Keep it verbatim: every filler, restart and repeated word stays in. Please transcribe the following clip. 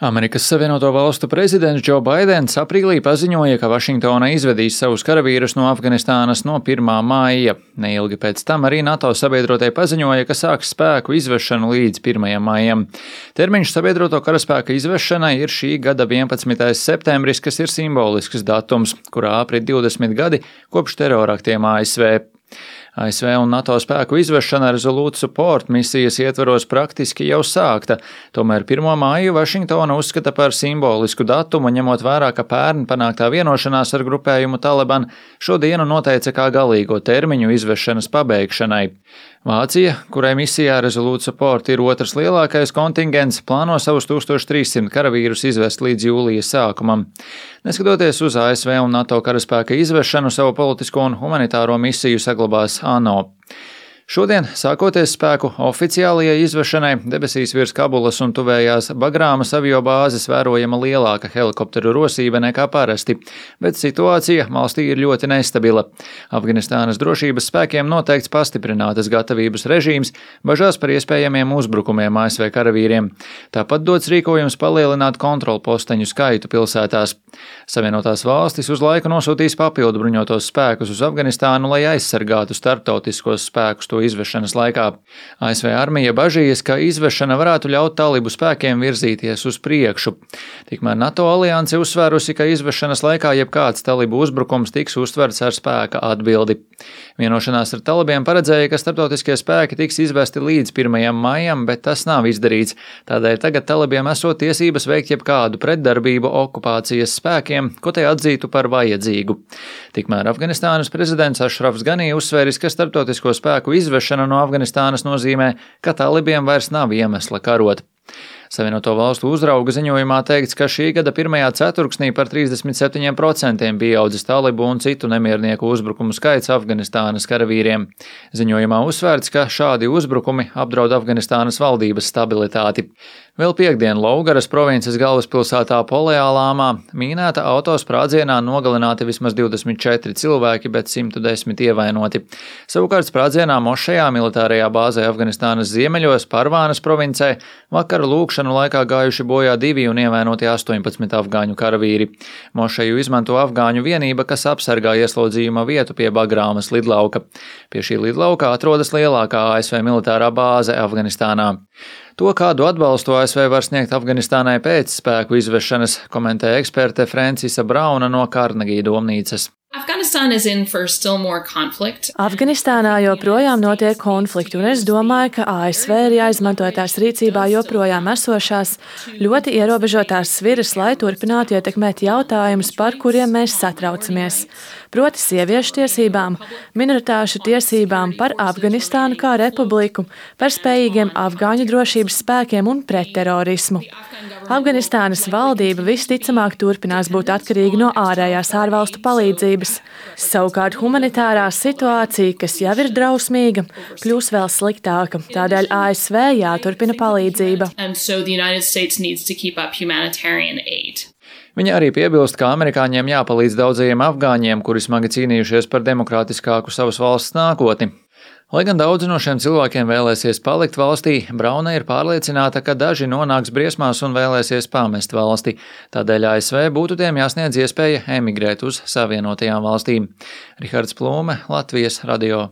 Amerikas Savienoto Valstu prezidents Džo Baidens aprīlī paziņoja, ka Vašingtona izvedīs savus karavīrus no Afganistānas no pirmā maija. Neilgi pēc tam arī NATO sabiedrotie paziņoja, ka sāks spēku izvešanu līdz pirmajam maijam. Termiņš sabiedroto karaspēka izvešanai ir šī gada vienpadsmitais septembris, kas ir simbolisks datums, kurā aprit divdesmit gadi kopš teroraktiem A S V. A S V un NATO spēku izvešana Resolute Support misijas ietvaros praktiski jau sākta, tomēr pirmo māju Vašingtona uzskata par simbolisku datumu, ņemot vērā, ka pērn panāktā vienošanās ar grupējumu Taliban šo dienu noteica kā galīgo termiņu izvešanas pabeigšanai. Vācija, kurai misijā Resolute Support ir otrs lielākais kontingents, plāno savus tūkstoš trīssimt karavīrus izvest līdz jūlija sākumam. Neskatoties uz A S V un NATO karaspēka izvešanu, savu politisko un humanitāro misiju saglabās ANO. Šodien, sākoties spēku oficiālajai izvešanai, debesīs virs Kabulas un tuvējās Bagrāmas aviobāzes vērojama lielāka helikopteru rosība nekā parasti, bet situācija valstī ir ļoti nestabila. Afganistānas drošības spēkiem noteikts pastiprinātas gatavības režīms, bažās par iespējamiem uzbrukumiem A S V karavīriem. Tāpat dots rīkojums palielināt kontrolposteņu skaitu pilsētās. Savienotās valstis uz laiku nosūtīs papildu bruņotos spēkus uz Afganistānu, lai aizsargātu starptautiskos spēkus to izvešanas laikā. A S V armija bažījas, ka izvešana varētu ļaut talibu spēkiem virzīties uz priekšu. Tikmēr NATO alianse uzsvērusi, ka izvešanas laikā jebkāds talibu uzbrukums tiks uztverts ar spēka atbildi. Vienošanās ar talibiem paredzēja, ka starptautiskie spēki tiks izvesti līdz pirmajam maijam, bet tas nav izdarīts. Tādēļ tagad talibiem esot tiesības veikt jebkādu pretdarbību okupācijas spēkiem, ko te atzītu par vajadzīgu. Tikmēr Afganistānas prezidents Ašrafs Ganī uzsvēris, ka starptautisko spēku izvešana no Afganistānas nozīmē, ka talibiem vairs nav iemesla karot. Savienoto valstu uzrauga ziņojumā teikts, ka šī gada pirmajā ceturksnī par trīsdesmit septiņiem procentiem pieaudzis talibu un citu nemiernieku uzbrukumu skaits Afganistānas karavīriem. Ziņojumā uzsvērts, ka šādi uzbrukumi apdraud Afganistānas valdības stabilitāti. Vēl piekdien Lougaras provinces galvaspilsētā Poleālāmā mīnēta autosprādzienā nogalināti vismaz divdesmit četri cilvēki, bet simt desmit ievainoti. Savukārt sprādzienā Mošejā, militārajā bāzē Afganistānas ziemeļos, Parvānas provincē, vakara lūkšanu laikā gājuši bojā divi un ievainoti astoņpadsmit afgāņu karavīri. Mošeju izmanto afgāņu vienība, kas apsargā ieslodzījuma vietu pie Bagrāmas lidlauka. Pie šī lidlauka atrodas lielākā A S V militārā bāze Afganistānā. To, kādu atbalstu A S V var sniegt Afganistānai pēc spēku izvešanas, komentē eksperte Francisa Brauna no Karnegija domnīcas. Afganistānā joprojām notiek konflikti, un es domāju, ka A S V ir jāizmanto tās rīcībā joprojām esošās ļoti ierobežotās sviras, lai turpinātu ietekmēt jautājumus, par kuriem mēs satraucamies. Proti sieviešu tiesībām, minoritāšu tiesībām, par Afganistānu kā republiku, par spējīgiem afgāņu drošības spēkiem un pretterorismu. Afganistānas valdība visticamāk turpinās būt atkarīga no ārējās ārvalstu palīdzības. Savukārt humanitārā situācija, kas jau ir drausmīga, kļūs vēl sliktāka. Tādēļ A S V jāturpina palīdzība. Viņa arī piebilst, ka amerikāņiem jāpalīdz daudzajiem afgāņiem, kuri smagi cīnījušies par demokrātiskāku savas valsts nākotni. Lai gan daudzi no šiem cilvēkiem vēlēsies palikt valstī, Brauna ir pārliecināta, ka daži nonāks briesmās un vēlēsies pamest valsti. Tādēļ A S V būtu tiem jāsniedz iespēja emigrēt uz Savienotajām valstīm. Rihards Plūme, Latvijas radio.